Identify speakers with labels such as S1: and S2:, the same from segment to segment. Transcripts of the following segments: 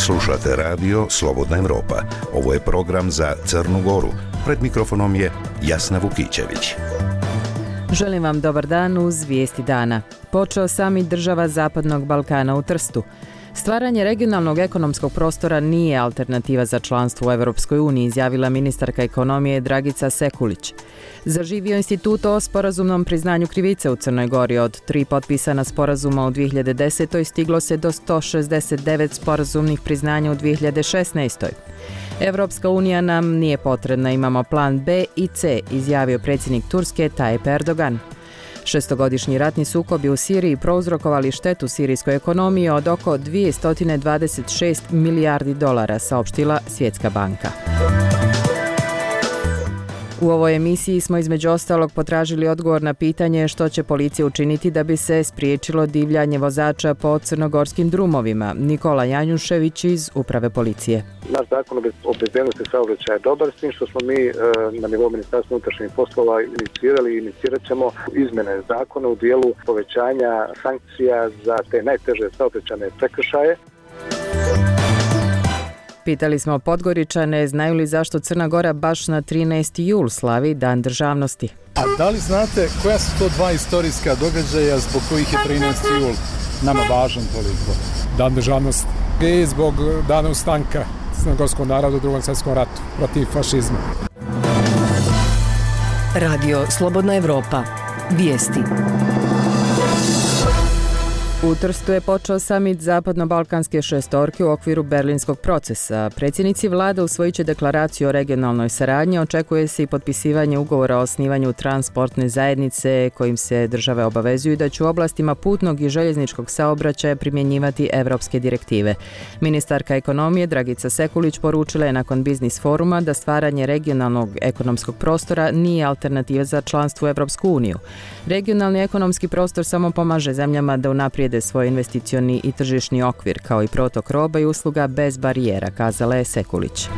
S1: Slušate radio Slobodna Evropa. Ovo je program za Crnu Goru. Pred mikrofonom je Jasna Vukićević.
S2: Želim vam dobar dan uz vijesti dana. Počeo samit država Zapadnog Balkana u Trstu. Stvaranje regionalnog ekonomskog prostora nije alternativa za članstvo u Europskoj uniji, izjavila ministarka ekonomije Dragica Sekulić. Zaživio institut o sporazumnom priznanju krivice u Crnoj Gori. Od 3 potpisana sporazuma u 2010. stiglo se do 169 sporazumnih priznanja u 2016. Evropska unija nam nije potrebna, imamo plan B i C, izjavio predsjednik Turske Tayyip Erdogan. Šestogodišnji ratni sukobi u Siriji prouzrokovali štetu sirijskoj ekonomiji od oko 226 milijardi dolara, saopštila Svjetska banka. U ovoj emisiji smo između ostalog potražili odgovor na pitanje što će policija učiniti da bi se spriječilo divljanje vozača po crnogorskim drumovima. Nikola Janjušević iz Uprave policije.
S3: Naš zakon o bezbednosti saobraćaja je dobar, s tim što smo mi na nivou Ministarstva unutrašnjih poslova inicirali i inicirat ćemo izmjene zakona u dijelu povećanja sankcija za te najteže saobraćajne prekršaje.
S2: Pitali smo Podgoričane znaju li zašto Crna Gora baš na 13. jul slavi Dan državnosti.
S4: A da li znate koja su to dva istorijska događaja zbog kojih je 13. jul nama važan toliko?
S5: Dan državnosti i zbog dana ustanka crnogorskog naroda u Drugom svjetskom ratu protiv fašizma.
S6: Radio Slobodna Evropa. Vijesti.
S2: U Trstu je počeo samit Zapadno-balkanske šestorke u okviru berlinskog procesa. Predsjednici vlade usvojit će deklaraciju o regionalnoj saradnji, očekuje se i potpisivanje ugovora o osnivanju transportne zajednice kojim se države obavezuju da će u oblastima putnog i željezničkog saobraćaja primjenjivati evropske direktive. Ministarka ekonomije Dragica Sekulić poručila je nakon biznis foruma da stvaranje regionalnog ekonomskog prostora nije alternativa za članstvo u Evropsku uniju. Regionalni ekonomski prostor samo pomaže zemljama da unaprijede svoj investicioni i tržišni okvir, kao i protok roba i usluga bez barijera, kazala je Sekulić.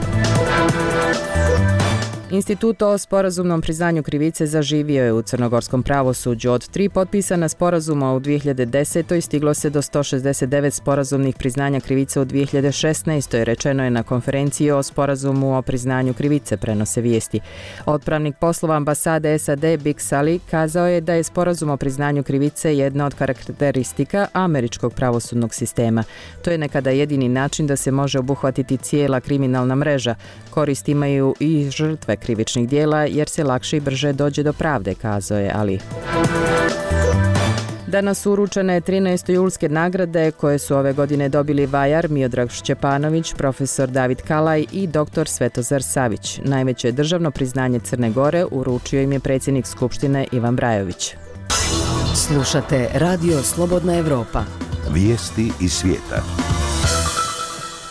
S2: Institut o sporazumnom priznanju krivice zaživio je u crnogorskom pravosuđu. Od 3 potpisana sporazuma u 2010. stiglo se do 169 sporazumnih priznanja krivice u 2016. Rečeno je na konferenciji o sporazumu o priznanju krivice, prenose vijesti. Otpravnik poslova ambasade SAD Big Sally kazao je da je sporazum o priznanju krivice jedna od karakteristika američkog pravosudnog sistema. To je nekada jedini način da se može obuhvatiti cijela kriminalna mreža. Korist imaju i žrtve krivičnih dijela jer se lakše i brže dođe do pravde, kazao je Ali. Danas su uručene 13. julske nagrade koje su ove godine dobili vajar Miodrag Šćepanović, profesor David Kalaj i dr. Svetozar Savić. Najveće državno priznanje Crne Gore uručio im je predsjednik Skupštine Ivan Brajović.
S6: Slušate Radio Slobodna Evropa.
S1: Vijesti iz svijeta.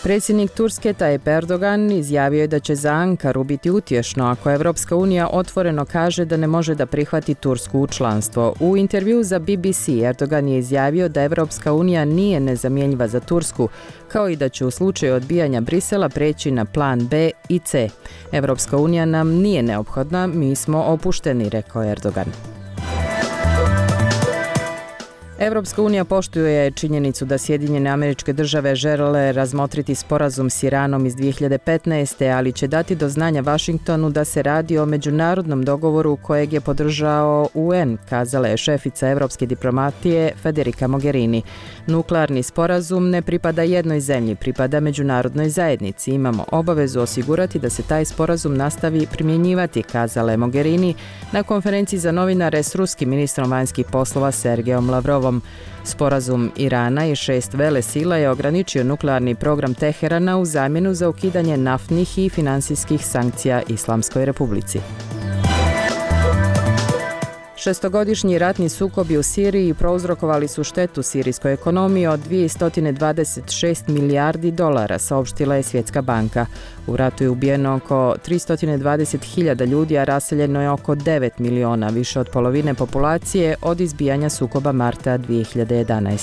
S2: Predsjednik Turske Tayyip Erdogan izjavio je da će za Ankaru biti utješno ako Evropska unija otvoreno kaže da ne može da prihvati Tursku u članstvo. U intervjuu za BBC Erdogan je izjavio da Evropska unija nije nezamjenjiva za Tursku, kao i da će u slučaju odbijanja Brisela preći na plan B i C. Evropska unija nam nije neophodna, mi smo opušteni, rekao Erdogan. Evropska unija poštuje činjenicu da Sjedinjene Američke Države žele razmotriti sporazum s Iranom iz 2015. ali će dati do znanja Vašingtonu da se radi o međunarodnom dogovoru kojeg je podržao UN, kazala je šefica evropske diplomatije Federica Mogherini. Nuklearni sporazum ne pripada jednoj zemlji, pripada međunarodnoj zajednici. Imamo obavezu osigurati da se taj sporazum nastavi primjenjivati, kazala je Mogherini na konferenciji za novinare s ruskim ministrom vanjskih poslova Sergejom Lavrovom. Sporazum Irana i 6 velesila je ograničio nuklearni program Teherana u zamjenu za ukidanje naftnih i finansijskih sankcija Islamskoj republici. Šestogodišnji ratni sukobi u Siriji prouzrokovali su štetu sirijskoj ekonomiji od 226 milijardi dolara, saopštila je Svjetska banka. U ratu je ubijeno oko 320.000 ljudi, a raseljeno je oko 9 miliona, više od polovine populacije od izbijanja sukoba marta 2011.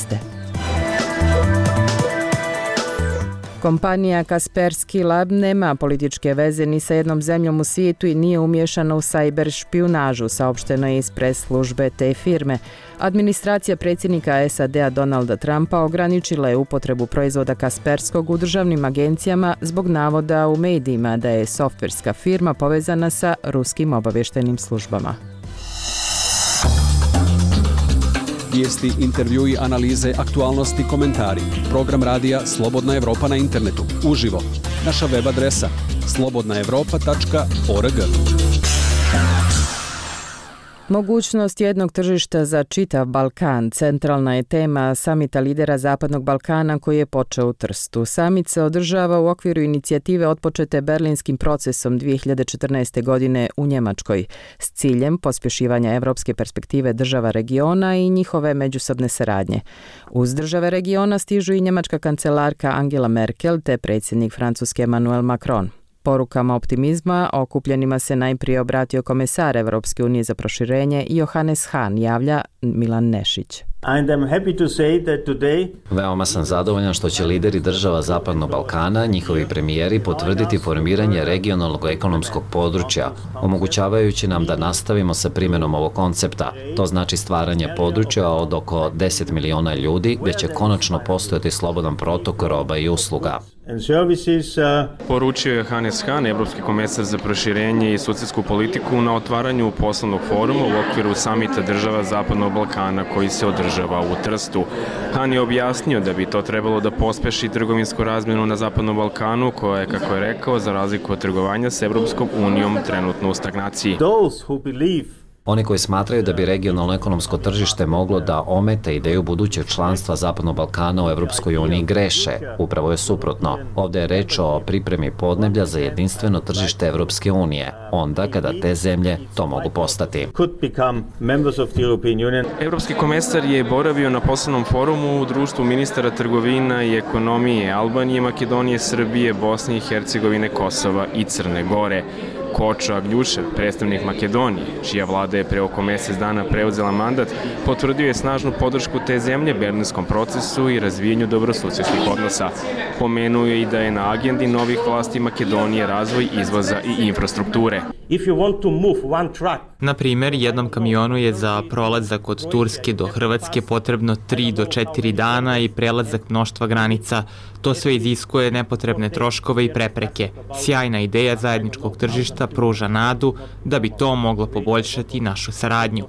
S2: Kompanija Kaspersky Lab nema političke veze ni sa jednom zemljom u svijetu i nije umiješana u sajber špijunažu, saopšteno je iz pres službe te firme. Administracija predsjednika SAD-a Donalda Trumpa ograničila je upotrebu proizvoda Kasperskog u državnim agencijama zbog navoda u medijima da je softverska firma povezana sa ruskim obavještajnim službama.
S7: Vijesti, intervjui, analize, aktualnosti, komentari. Program radija Slobodna Evropa na internetu. Uživo. Naša web adresa slobodnaevropa.org.
S2: Mogućnost jednog tržišta za čitav Balkan centralna je tema samita lidera Zapadnog Balkana koji je počeo u Trstu. Samit se održava u okviru inicijative otpočete Berlinskim procesom 2014. godine u Njemačkoj s ciljem pospješivanja evropske perspektive država regiona i njihove međusobne saradnje. Uz države regiona stižu i njemačka kancelarka Angela Merkel te predsjednik Francuske Emmanuel Macron. Porukama optimizma okupljenima se najprije obratio komesar Evropske unije za proširenje Johannes Hahn, javlja Milan Nešić.
S8: Veoma sam zadovoljan što će lideri država Zapadnog Balkana, njihovi premijeri, potvrditi formiranje regionalnog ekonomskog područja, omogućavajući nam da nastavimo sa primjenom ovog koncepta. To znači stvaranje područja od oko 10 miliona ljudi, gdje će konačno postojati slobodan protok roba i usluga.
S9: Poručio je Johannes Hahn, evropski komesar za proširenje i susedsku politiku, na otvaranju poslovnog foruma u okviru samita država Zapadnog Balkana koji se održava u Trstu. Hahn je objasnio da bi to trebalo da pospeši trgovinsku razmjenu na Zapadnom Balkanu, koja je, kako je rekao, za razliku od trgovanja s Evropskom unijom trenutno u stagnaciji.
S8: Oni koji smatraju da bi regionalno ekonomsko tržište moglo da omete ideju budućeg članstva Zapadnog Balkana u Evropskoj uniji greše. Upravo je suprotno. Ovdje je reč o pripremi podneblja za jedinstveno tržište Evropske unije, onda kada te zemlje to mogu postati.
S9: Evropski komesar je boravio na poslovnom forumu u društvu ministara trgovina i ekonomije Albanije, Makedonije, Srbije, Bosne i Hercegovine, Kosova i Crne Gore. Kočo Agljušev, predstavnik Makedonije, čija vlada je pre oko mjesec dana preuzela mandat, potvrdio je snažnu podršku te zemlje berlinskom procesu i razvijanju dobrosusjedskih odnosa. Pomenuo je i da je na agendi novih vlasti Makedonije razvoj izvoza i infrastrukture.
S10: Na primjer, jednom kamionu je za prolazak od Turske do Hrvatske potrebno 3 do 4 dana i prelazak mnoštva granica. To sve iziskuje nepotrebne troškove i prepreke. Sjajna ideja zajedničkog tržišta pruža nadu da bi to moglo poboljšati našu saradnju.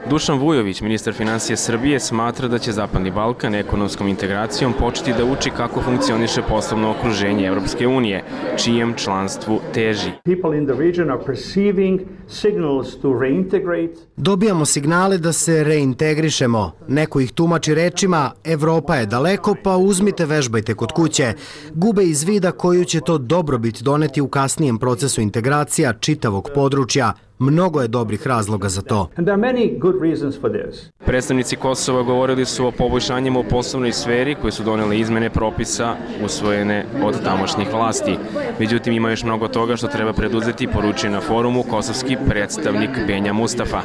S9: Dušan Vujović, ministar financije Srbije, smatra da će Zapadni Balkan ekonomskom integracijom početi da uči kako funkcioniše poslovno okruženje Evropske unije, čijem članstvu teži.
S11: Dobijamo signale da se reintegrišemo. Neko ih tumači rečima Evropa je daleko, pa uzmite, vežbajte kod kuće. Gube iz vida koju će to dobrobit doneti u kasnijem procesu integracija čitavog područja. Mnogo je dobrih razloga za to.
S9: Predstavnici Kosova govorili su o poboljšanjima u poslovnoj sferi koje su donele izmene propisa usvojene od tamošnjih vlasti. Međutim, ima još mnogo toga što treba preduzeti, poručio na forumu kosovski predstavnik Benja Mustafa.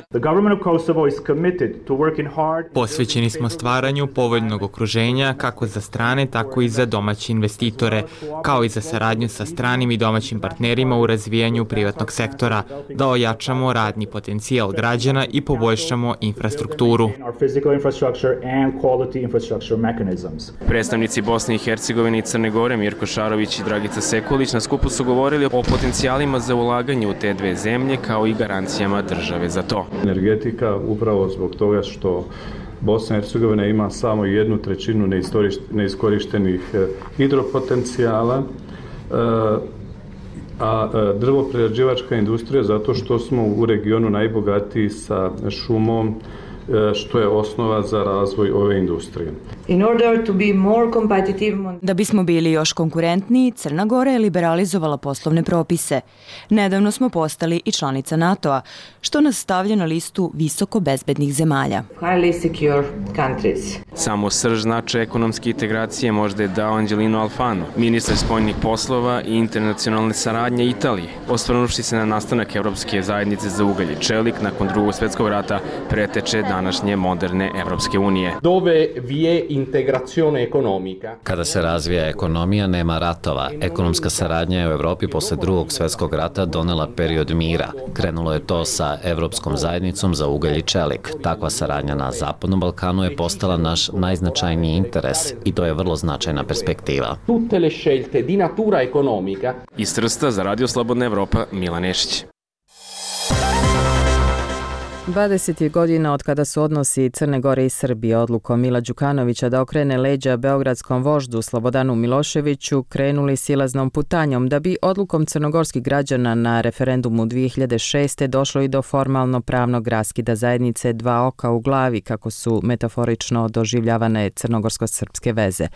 S10: Posvećeni smo stvaranju povoljnog okruženja kako za strane, tako i za domaće investitore, kao i za saradnju sa stranim i domaćim partnerima u razvijanju privatnog sektora, da ojačamo radni potencijal građana i poboljšamo infrastrukturu.
S9: Predstavnici Bosne i Hercegovine i Crne Gore Mirko Šarović i Dragica Sekulić na skupu su govorili o potencijalima za ulaganje u te dve zemlje kao i garancijama države za to.
S12: Energetika upravo zbog toga što Bosna i Hercegovina ima samo 1/3 neiskorištenih hidropotencijala, a drvoprerađivačka industrija zato što smo u regionu najbogatiji sa šumom, što je osnova za razvoj ove industrije.
S13: Da bismo bili još konkurentniji, Crna Gora je liberalizovala poslovne propise. Nedavno smo postali i članica NATO-a, što nas stavlja na listu visoko bezbednih zemalja.
S9: Samo srž značaja ekonomske integracije možda je dao Angelino Alfano, ministar spoljnih poslova i internacionalne saradnje Italije, osvrnuvši se na nastanak Evropske zajednice za ugalj i čelik nakon Drugog svjetskog rata, preteče današnje moderne Evropske unije.
S14: Dove vi è integrazione economica.
S8: Kada se razvija ekonomija, nema ratova. Ekonomska saradnja je u Evropi posle Drugog svjetskog rata donela period mira. Krenulo je to sa Evropskom zajednicom za ugalj i čelik. Takva saradnja na Zapadnom Balkanu je postala naš najznačajniji interes i to je vrlo značajna perspektiva.
S14: Tutte le scelte di natura economica.
S9: Iz Trsta za Radio Slobodna Evropa, Milan Nešić.
S2: 20 godina od kada su odnosi Crne Gore i Srbije odlukom Mila Đukanovića da okrene leđa beogradskom voždu Slobodanu Miloševiću krenuli silaznom putanjom da bi odlukom crnogorskih građana na referendumu 2006. došlo i do formalno pravnog raskida zajednice dva oka u glavi, kako su metaforično doživljavane crnogorsko-srpske veze.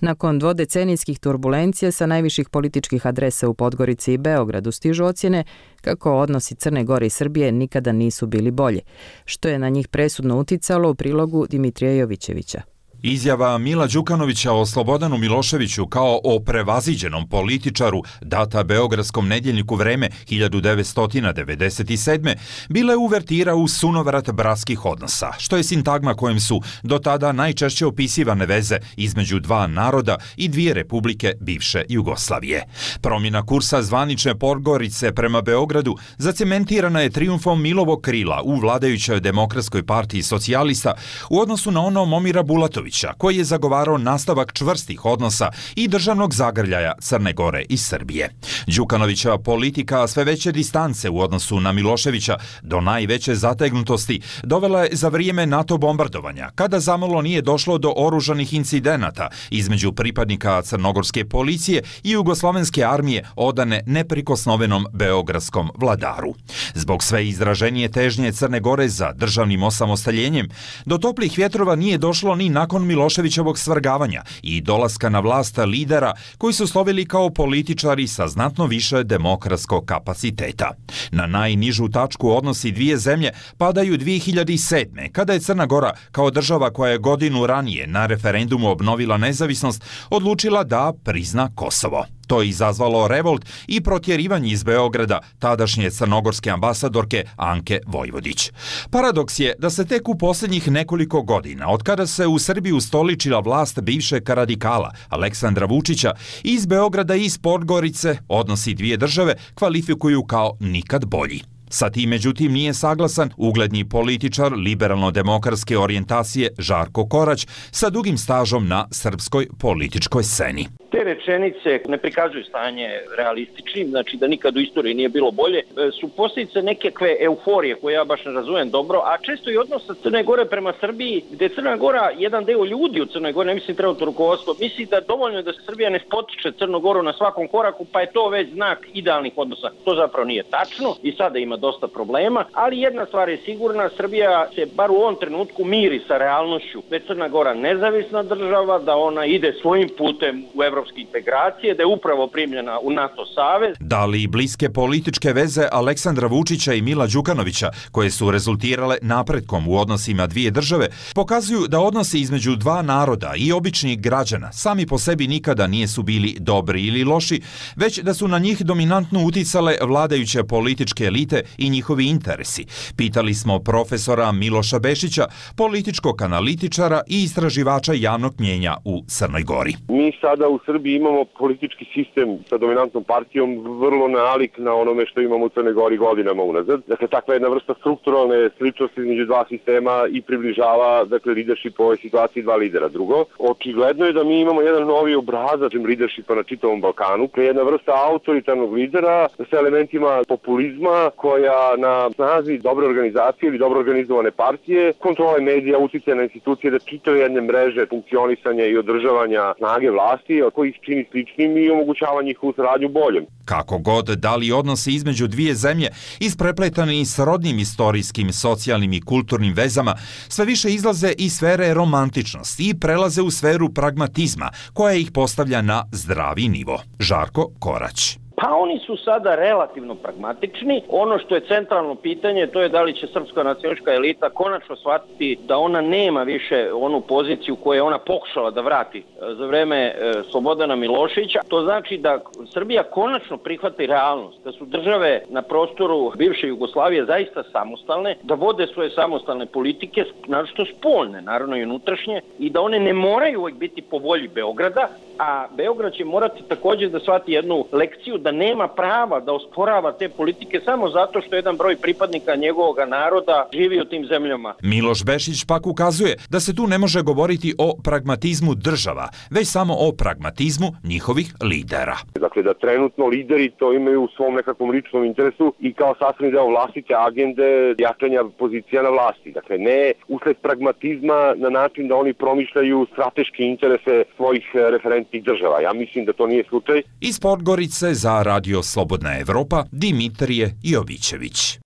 S2: Nakon dvodecenijskih turbulencija sa najviših političkih adresa u Podgorici i Beogradu stižu ocjene kako odnosi Crne Gore i Srbije nikada nisu bili bolji, što je na njih presudno uticalo u prilogu Dimitrija Jovićevića.
S15: Izjava Mila Đukanovića o Slobodanu Miloševiću kao o prevaziđenom političaru data beogradskom nedjeljniku Vreme 1997. bila je uvertira u sunovrat bratskih odnosa, što je sintagma kojim su do tada najčešće opisivane veze između dva naroda i dvije republike bivše Jugoslavije. Promjena kursa zvanične Podgorice prema Beogradu zacementirana je trijumfom Milovog krila u vladajućoj Demokratskoj partiji socijalista u odnosu na ono Momira Bulatovića, koji je zagovarao nastavak čvrstih odnosa i državnog zagrljaja Crne Gore i Srbije. Đukanovića politika sve veće distance u odnosu na Miloševića do najveće zategnutosti dovela je za vrijeme NATO bombardovanja, kada zamalo nije došlo do oružanih incidenata između pripadnika crnogorske policije i jugoslovenske armije odane neprikosnovenom beogradskom vladaru. Zbog sve izraženije težnje Crne Gore za državnim osamostaljenjem, do toplih vjetrova nije došlo ni nakon Miloševićevog svrgavanja i dolaska na vlast lidera koji su slovili kao političari sa znatno više demokratskog kapaciteta. Na najnižu tačku odnosi dvije zemlje padaju 2007. kada je Crna Gora kao država koja je godinu ranije na referendumu obnovila nezavisnost odlučila da prizna Kosovo. To je izazvalo revolt i protjerivanje iz Beograda tadašnje crnogorske ambasadorke Anke Vojvodić. Paradoks je da se tek u posljednjih nekoliko godina, od kada se u Srbiji ustoličila vlast bivšeg radikala Aleksandra Vučića, iz Beograda i iz Podgorice odnosi dvije države kvalifikuju kao nikad bolji. Sa tim, međutim, nije saglasan ugledni političar liberalno-demokratske orijentacije Žarko Korać sa dugim stažom na srpskoj političkoj sceni.
S16: Te rečenice ne prikazuju stanje realističnim, znači da nikad u istoriji nije bilo bolje, su posljedice nekakve euforije koje ja baš ne razumem dobro, a često i odnosa Crne Gore prema Srbiji, gde Crna Gora, jedan deo ljudi u Crnoj Gori, ne mislim trenutno rukovodstvo, misli da dovoljno je da Srbija ne spotiče Crnu Goru na svakom koraku, pa je to već znak idealnih odnosa. To zapravo nije tačno i sada ima dosta problema, ali jedna stvar je sigurna, Srbija se bar u ovom trenutku miri sa realnošću, da je Crna Gora nezavisna država, da ona ide svojim putem u evropske integracije, da je upravo primljena u NATO savez.
S15: Da li bliske političke veze Aleksandra Vučića i Mila Đukanovića, koje su rezultirale napretkom u odnosima dvije države, pokazuju da odnosi između dva naroda i običnih građana sami po sebi nikada nisu bili dobri ili loši, već da su na njih dominantno uticale vladajuće političke elite i njihovi interesi. Pitali smo profesora Miloša Bešića, političkog analitičara i istraživača javnog mnjenja u Crnoj Gori.
S17: Mi sada u Srbiji imamo politički sistem sa dominantnom partijom vrlo nalik na onome što imamo u Crnoj Gori godinama unazad. Dakle, takva jedna vrsta strukturalne sličnosti između dva sistema i približava, dakle, leadership u ovoj situaciji dva lidera. Drugo, očigledno je da mi imamo jedan novi obrazac leadershipa na čitavom Balkanu, jedna vrsta autoritarnog lidera sa elementima populizma koja na snazi dobre organizacije ili dobro organizovane partije, kontrole medija, uticaja na institucije da čitaju jedne mreže funkcionisanja i održavanja snage vlasti, koji ih čini sličnim i omogućava njihovu saradnju boljom.
S15: Kako god, da li odnosi između dvije zemlje isprepletani s rodnim istorijskim, socijalnim i kulturnim vezama, sve više izlaze iz sfere romantičnosti i prelaze u sferu pragmatizma, koja ih postavlja na zdravi nivo. Žarko Korać.
S16: Pa oni su sada relativno pragmatični. Ono što je centralno pitanje, to je da li će srpska nacionalistička elita konačno shvatiti da ona nema više onu poziciju koju je ona pokušala da vrati za vreme Slobodana Miloševića. To znači da Srbija konačno prihvati realnost, da su države na prostoru bivše Jugoslavije zaista samostalne, da vode svoje samostalne politike, naročito spoljne, naravno i unutrašnje, i da one ne moraju uvijek biti po volji Beograda, a Beograd će morati također da shvati jednu lekciju da nema prava da osporava te politike samo zato što jedan broj pripadnika njegovog naroda živi u tim zemljama.
S15: Miloš Bešić pak ukazuje da se tu ne može govoriti o pragmatizmu država, već samo o pragmatizmu njihovih lidera.
S17: Dakle, da trenutno lideri to imaju u svom nekakvom ličnom interesu i kao sastavni deo vlastite agende jačanja pozicija na vlasti. Dakle, ne usled pragmatizma na način da oni promišljaju strateške interese svojih referentnih država. Ja mislim da to nije slučaj.
S15: Iz Podgorice za Radio Slobodna Evropa, Dimitrije Jovićević.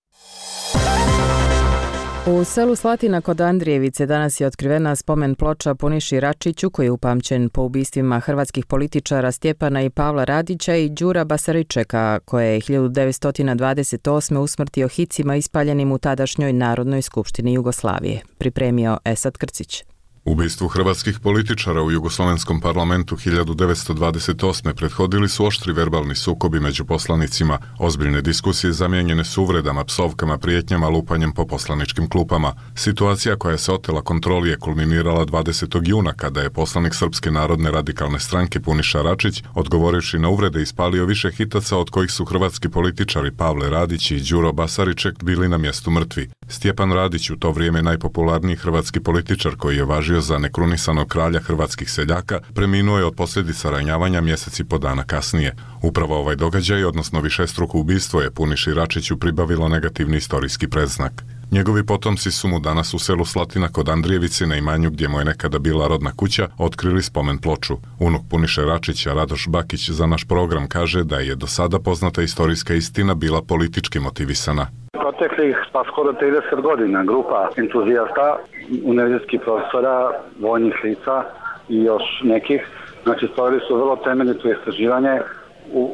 S2: U selu Slatina kod Andrijevice danas je otkrivena spomen ploča Puniši Račiću, koji je upamćen po ubistvima hrvatskih političara Stjepana i Pavla Radića i Đura Basaričeka, koje je 1928. usmrtio hicima ispaljenim u tadašnjoj Narodnoj skupštini Jugoslavije. Pripremio Esad Krcić.
S18: Ubistvu hrvatskih političara u Jugoslovenskom parlamentu 1928. prethodili su oštri verbalni sukobi među poslanicima, ozbiljne diskusije zamijenjene su uvredama, psovkama, prijetnjama, lupanjem po poslaničkim klupama. Situacija koja se otela kontroli je kulminirala 20. juna kada je poslanik Srpske narodne radikalne stranke Puniša Račić, odgovorivši na uvrede, ispalio više hitaca od kojih su hrvatski političari Pavle Radić i Đuro Basariček bili na mjestu mrtvi. Stjepan Radić, u to vrijeme najpopularniji hrvatski političar koji je važio za nekrunisanog kralja hrvatskih seljaka, preminuo je od posljedica ranjavanja mjesec i po dana kasnije. Upravo ovaj događaj, odnosno višestruko ubistvo, je Puniši Račiću pribavilo negativni istorijski predznak. Njegovi potomci su mu danas u selu Slatina kod Andrijevice, na imanju gdje mu je nekada bila rodna kuća, otkrili spomen ploču. Unuk Puniše Račića, Radoš Bakić, za naš program kaže da je do sada poznata istorijska istina bila politički motivisana.
S19: Proteklih pa skoro 30 godina grupa entuzijasta, univerzitetskih profesora, vojnih lica i još nekih, znači stvorili su vrlo temeljito istraživanje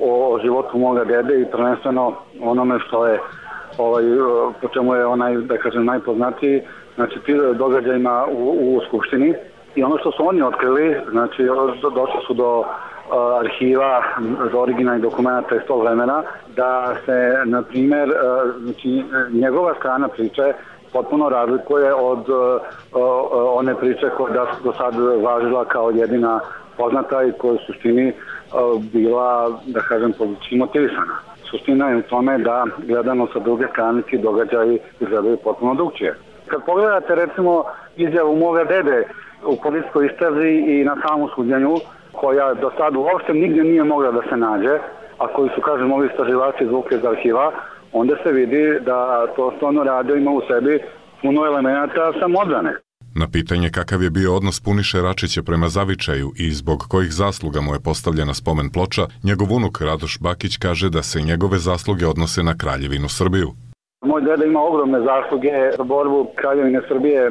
S19: o životu moga dede i prvenstveno onome što je po čemu je onaj, da kažem, najpoznatiji, znači događajima u Skupštini. I ono što su oni otkrili, znači došli su do arhiva, do originalnih dokumenta iz tog vremena, da se, na primjer, znači, njegova strana priče potpuno razlikuje od one priče koja je do sad važila kao jedina poznata i koja u suštini bila, da kažem, politički motivisana. Suština je u tome da, gledano sa druge strane, ti događaji izgledaju potpuno drugčije. Kad pogledate, recimo, izjavu moga dede u policijskoj istrazi i na samom suđenju, koja do sad uopšte nigdje nije mogla da se nađe, a koji su, kažem, ovi istraživači izvukli iz arhiva, onda se vidi da to stvarno radio ima u sebi puno elemenata samodbrane.
S18: Na pitanje kakav je bio odnos Puniše Račića prema zavičaju i zbog kojih zasluga mu je postavljena spomen ploča, njegov unuk Radoš Bakić kaže da se njegove zasluge odnose na Kraljevinu Srbiju.
S19: Moj deda ima ogromne zasluge za borbu Kraljevine Srbije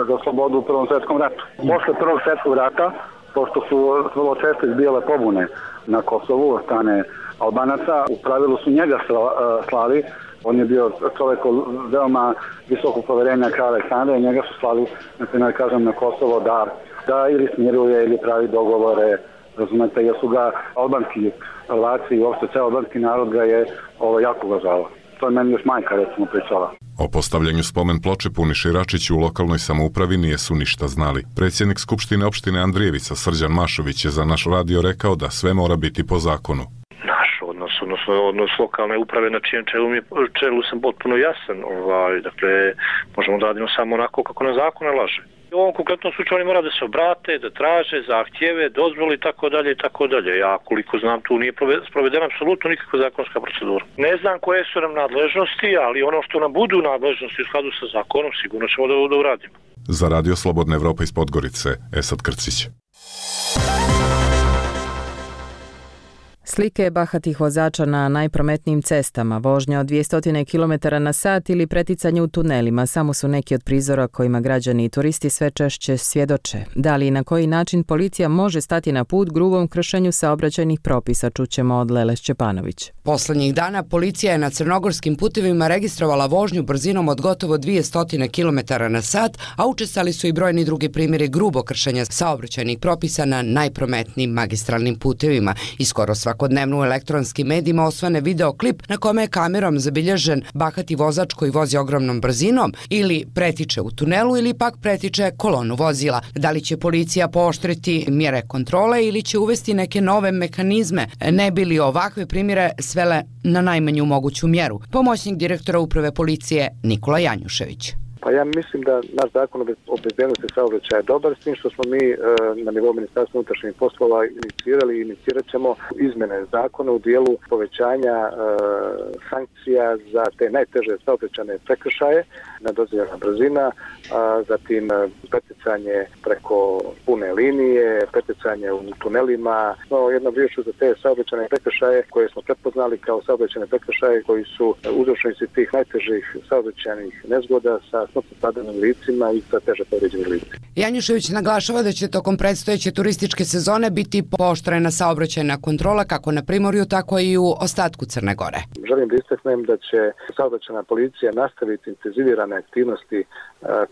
S19: za slobodu u Prvom svjetskom ratu. Posle Prvog svjetskog rata, pošto su vrlo često izbijale pobune na Kosovu od strane Albanaca, u pravilu su njega slali. On je bio čovjek od veoma visokog poverenja kralja Aleksandra i njega su slali, na primjer, kažem, na Kosovo da ili smiruje ili pravi dogovore, razumete, jer su ga albanski Hrvati i uopšte ceo albanski narod ga je jako uvažavao. To je meni još majka, recimo, pričala.
S18: O postavljanju spomen ploče Puniši Račiću u lokalnoj samoupravi nijesu ništa znali. Predsjednik Skupštine opštine Andrijevica Srđan Mašović je za naš radio rekao da sve mora biti po zakonu.
S20: Odnos lokalne uprave na čijem čelu sam potpuno jasan. Dakle, možemo da radimo samo onako kako na zakon nalaže. U ovom konkretnom slučaju oni mora da se obrate, da traže zahtjeve, dozvoli i tako dalje i tako dalje. Ja koliko znam tu nije sprovedena apsolutno nikakva zakonska procedura. Ne znam koje su nam nadležnosti, ali ono što nam budu nadležnosti u skladu sa zakonom sigurno ćemo da uradimo.
S18: Za Radio Slobodna Evropa iz Podgorice, Esad Krcić.
S2: Slike bahatih vozača na najprometnijim cestama, vožnja od 200 km na sat ili preticanje u tunelima samo su neki od prizora kojima građani i turisti sve češće svjedoče. Da li i na koji način policija može stati na put grubom kršenju saobraćajnih propisa, čućemo od Lele Šćepanović.
S21: Poslednjih dana policija je na crnogorskim putevima registrovala vožnju brzinom od gotovo 200 km na sat, a učestali su i brojni drugi primjeri grubo kršenja saobraćajnih propisa na najprometnijim magistralnim putevima. I skoro svakodnevno u elektronskim medijima osvane videoklip na kome je kamerom zabilježen bahati vozač koji vozi ogromnom brzinom ili pretiče u tunelu ili pak pretiče kolonu vozila. Da li će policija pooštriti mjere kontrole ili će uvesti neke nove mehanizme, ne bi li ovakve primjere svele na najmanju moguću mjeru? Pomoćnik direktora uprave policije Nikola Janjušević.
S3: Pa ja mislim da naš zakon o bezbednosti saobraćaja je dobar, s tim što smo mi na nivou Ministarstva unutrašnjih poslova inicirali i inicirat ćemo izmene zakona u dijelu povećanja sankcija za te najteže saobraćajne prekršaje, nedozvoljena brzina, zatim preticanje preko pune linije, preticanje u tunelima. No, jednom riječju za te saobraćajne prekršaje koje smo prepoznali kao saobraćajne prekršaje koji su uzročnici tih najtežih saobraćajnih nezgoda sa smrtno stradalim licima i sa teže povrijeđenim licima.
S21: Janjušević naglašava da će tokom predstojeće turističke sezone biti pooštrena saobraćajna kontrola kako na Primorju, tako i u ostatku Crne Gore.
S3: Želim da istaknem da će saobraćajna policija nastaviti intenzivirane aktivnosti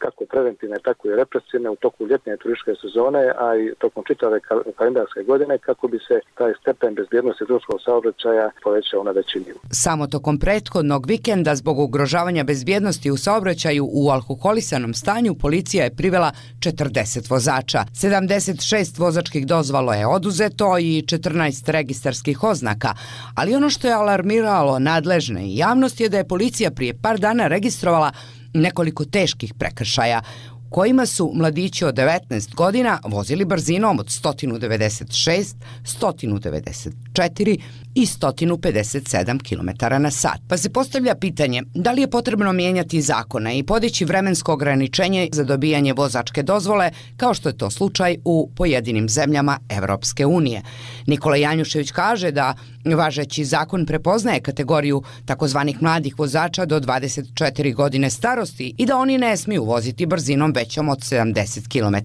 S3: kako preventivne, tako i represivne u toku ljetne turističke sezone, a i tokom čitave kalendarske godine kako bi se taj stepen bezbjednosti drumskog saobraćaja povećao na veći nivo.
S21: Samo tokom prethodnog vikenda zbog ugrožavanja bezbjednosti u saobraćaju u alkoholisanom stanju policija je privela 40 vozača. 76 vozačkih dozvola je oduzeto i 14 registarskih oznaka, ali ono što je alarmiralo nadležne i javnost je da je policija prije par dana registrovala nekoliko teških prekršaja kojima su mladići od 19 godina vozili brzinom od 196, 194 i 157 km na sat. Pa se postavlja pitanje da li je potrebno mijenjati zakone i podići vremensko ograničenje za dobijanje vozačke dozvole, kao što je to slučaj u pojedinim zemljama Evropske unije. Nikola Janjušević kaže da važeći zakon prepoznaje kategoriju takozvanih mladih vozača do 24 godine starosti i da oni ne smiju voziti brzinom većom od 70 km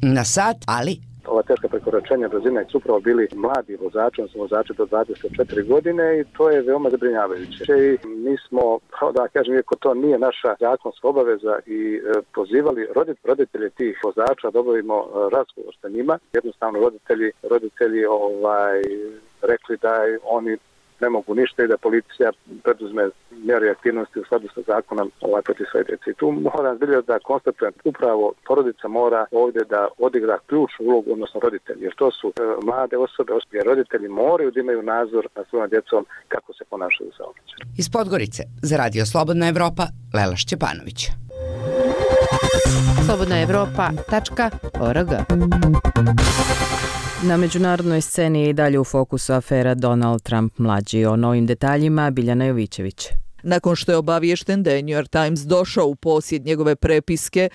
S21: na sat, ali
S3: ova teška prekoračenja brzine su upravo bili mladi vozači, odnosno vozači do 24 godine i to je veoma zabrinjavajuće. I mi smo, da kažem, iako to nije naša zakonska obaveza i pozivali roditelje tih vozača da obavimo razgovor sa njima. Jednostavno roditelji rekli da oni ne mogu ništa i da policija preduzme mjere i aktivnosti u skladu sa zakonom protiv svoje djece. I tu moram zbilja da konstatujem upravo porodica mora ovdje da odigra ključnu ulogu, odnosno roditelji, jer to su mlade osobe, jer roditelji moraju da imaju nadzor nad svojom djecom kako se ponašaju u saobraćaju.
S21: Iz Podgorice za Radio Slobodna Evropa, Lela Šćepanović.
S2: slobodnaevropa.org. Na međunarodnoj sceni je i dalje u fokusu afera Donald Trump mlađi. O novim detaljima Biljana Jovićević.
S22: Nakon što je obaviješten da je New York Times došao u posjed njegove prepiske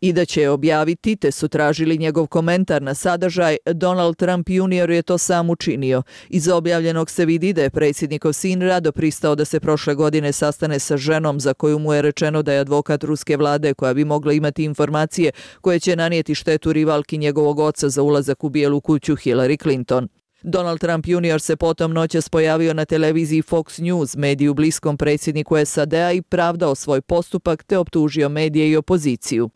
S22: i da će je objaviti, te su tražili njegov komentar na sadržaj, Donald Trump Jr. je to sam učinio. Iz objavljenog se vidi da je predsjednikov sin rado pristao da se prošle godine sastane sa ženom za koju mu je rečeno da je advokat ruske vlade koja bi mogla imati informacije koje će nanijeti štetu rivalki njegovog oca za ulazak u Bijelu kuću Hillary Clinton. Donald Trump Jr. se potom noćas pojavio na televiziji Fox News, mediju bliskom predsjedniku SAD-a, i pravdao svoj postupak te optužio medije i opoziciju.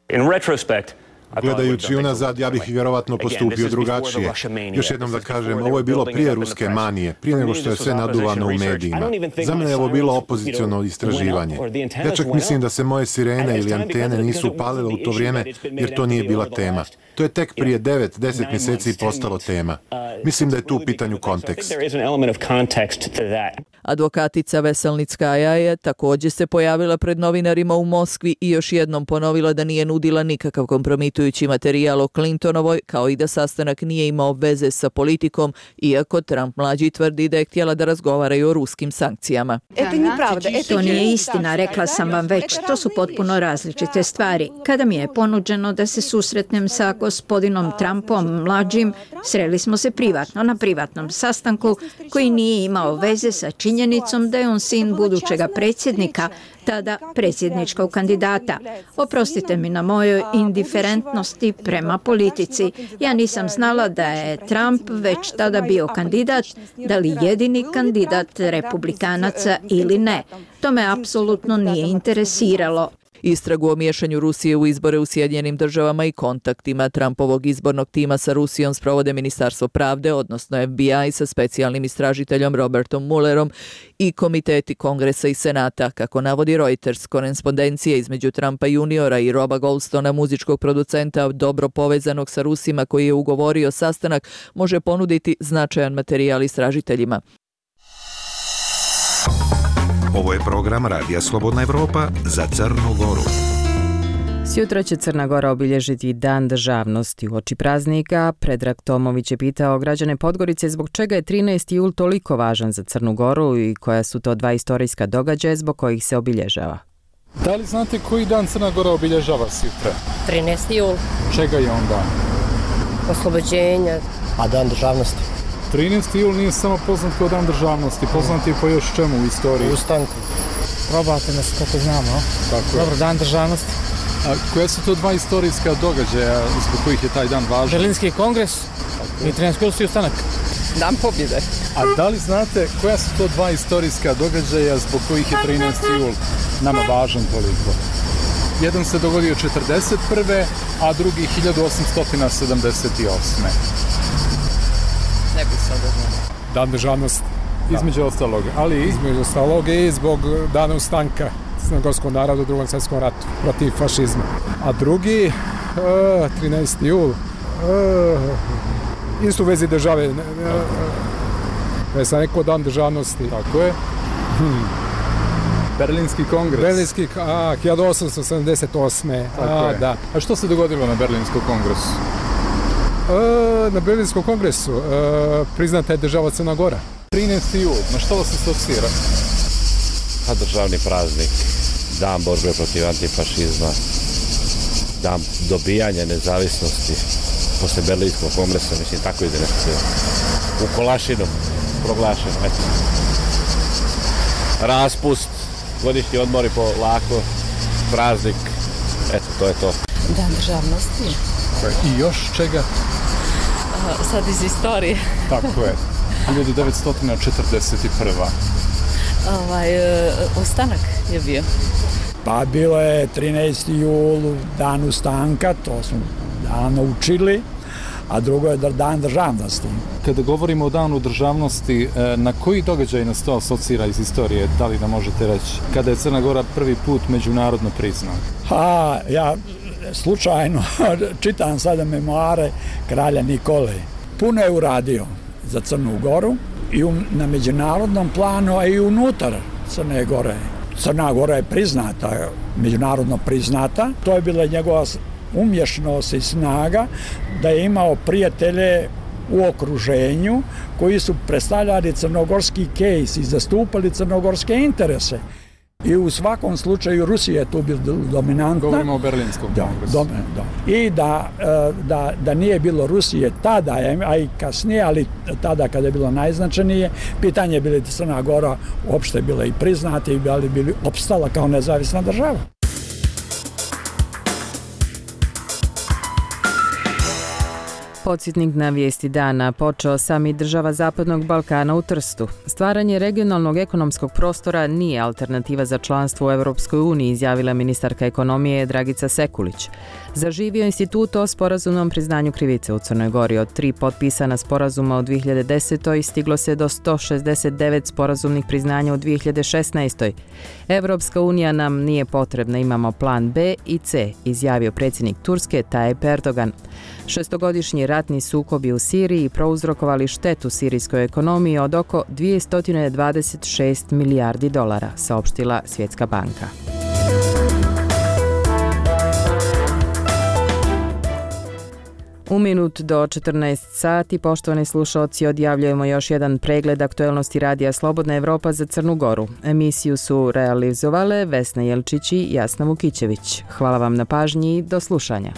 S23: Gledajući unazad, ja bih vjerovatno postupio drugačije. Još jednom da kažem, ovo je bilo prije ruske manije, prije nego što je sve naduvano u medijima. Za mene je ovo bilo opoziciono istraživanje. Ja čak mislim da se moje sirene ili antene nisu upalile u to vrijeme, jer to nije bila tema. To je tek prije 9-10 mjeseci postalo tema. Mislim da je tu u pitanju kontekst.
S22: Advokatica Veselnickaja je također se pojavila pred novinarima u Moskvi i još jednom ponovila da nije nudila nikakav kompromitirajući emitujući materijal o Clintonovoj, kao i da sastanak nije imao veze sa politikom, iako Trump mlađi tvrdi da je htjela da razgovaraju o ruskim sankcijama.
S4: To nije istina, rekla sam vam već, to su potpuno različite stvari. Kada mi je ponuđeno da se susretnem sa gospodinom Trumpom mlađim, sreli smo se privatno, na privatnom sastanku koji nije imao veze sa činjenicom da je on sin budućega predsjednika, tada predsjedničkog kandidata. Oprostite mi na mojoj indiferentnosti prema politici. Ja nisam znala da je Trump već tada bio kandidat, da li jedini kandidat republikanaca ili ne. To me apsolutno nije interesiralo.
S22: Istragu o miješanju Rusije u izbore u Sjedinjenim državama i kontaktima Trumpovog izbornog tima sa Rusijom sprovode Ministarstvo pravde, odnosno FBI sa specijalnim istražiteljom Robertom Muellerom i komiteti Kongresa i Senata. Kako navodi Reuters, korespondencija između Trumpa juniora i Roba Goldstona, muzičkog producenta dobro povezanog sa Rusima koji je ugovorio sastanak, može ponuditi značajan materijal istražiteljima.
S1: Ovo je program Radija Slobodna Evropa za Crnu Goru.
S2: Sjutra će Crna Gora obilježiti Dan državnosti. Uoči praznika Predrag Tomović je pitao građane Podgorice zbog čega je 13. jul toliko važan za Crnu Goru i koja su to dva istorijska događaja zbog kojih se obilježava.
S5: Da li znate koji dan Crna Gora obilježava sutra?
S6: 13. jul.
S5: Čega je on dan?
S6: Oslobođenja.
S24: A Dan državnosti?
S5: 13. jul nije samo poznat kao Dan državnosti, poznat je po još čemu u istoriji?
S24: Ustanku.
S6: Probate nas kako znamo.
S5: Dobro,
S6: Dan državnosti.
S5: A koja su to dva istorijska događaja zbog kojih je taj dan važan?
S6: Berlinski kongres i 13. jul ustanak.
S24: Dan pobjede.
S5: A da li znate koja su to dva istorijska događaja zbog kojih je 13. jul nama važan toliko? Jedan se dogodio 1941. a drugi 1878.
S24: Ne bi sad znao.
S5: Dan državnosti. Između ostalog, ali
S6: između ostalog i zbog dana ustanka crnogorskom narodu u Drugom svjetskom ratu protiv fašizma.
S5: A drugi,
S6: 13. jul, isto u vezi države, da je sam rekao Dan državnosti.
S5: Tako je. Berlinski kongres.
S6: 1878.
S5: Da. A što se dogodilo na Berlinskom kongresu?
S6: Na Berlinskom kongresu priznata je država Crna Gora.
S5: 13. jul, na što vas asocira?
S24: Pa državni praznik, dan borbe protiv antifašizma, dan dobijanja nezavisnosti posle Berlinskog kongresa, mislim tako ide nešto u Kolašinu proglašeno. Eto. Raspust, godišnji odmori polako, praznik, eto to je to.
S6: Dan državnosti.
S5: I još čega?
S6: Sad iz istorije.
S5: Tako je. 1941.
S6: Ustanak je bio.
S24: Pa bilo je 13. jul, dan ustanka, to smo dan učili, a drugo je dan državnosti.
S5: Kada govorimo o danu državnosti, na koji događaj nas to asocira iz istorije, da li nam možete reći? Kada je Crna Gora prvi put međunarodno priznata?
S24: Ja slučajno čitam sada memoare kralja Nikole. Puno je uradio za Crnu Goru i na međunarodnom planu, a i unutar Crne Gore. Crna Gora je priznata, međunarodno priznata. To je bila njegova umješnost i snaga da je imao prijatelje u okruženju koji su predstavljali crnogorski kejs i zastupali crnogorske interese. I u svakom slučaju Rusija je tu bila dominantna.
S5: Govorimo o Berlinskom kongresu.
S24: I da nije bilo Rusije tada, a i kasnije, ali tada kada je bilo najznačajnije, pitanje je bilo Crna Gora uopšte bila i priznata i bili opstala kao nezavisna država.
S2: Podsjetnik na vijesti dana. Počeo samit država Zapadnog Balkana u Trstu. Stvaranje regionalnog ekonomskog prostora nije alternativa za članstvo u Evropskoj uniji, izjavila ministarka ekonomije Dragica Sekulić. Zaživio institut o sporazumnom priznanju krivice u Crnoj Gori. Od 3 potpisana sporazuma u 2010. stiglo se do 169 sporazumnih priznanja u 2016. Evropska unija nam nije potrebna, imamo plan B i C, izjavio predsjednik Turske Tayyip Erdogan. Šestogodišnji ratni sukobi u Siriji prouzrokovali štetu sirijskoj ekonomiji od oko 226 milijardi dolara, saopštila Svjetska banka. U minut do 14 sati, poštovani slušalci, odjavljujemo još jedan pregled aktuelnosti radija Slobodna Evropa za Crnu Goru. Emisiju su realizovale Vesna Jelčić i Jasna Vukićević. Hvala vam na pažnji i do slušanja.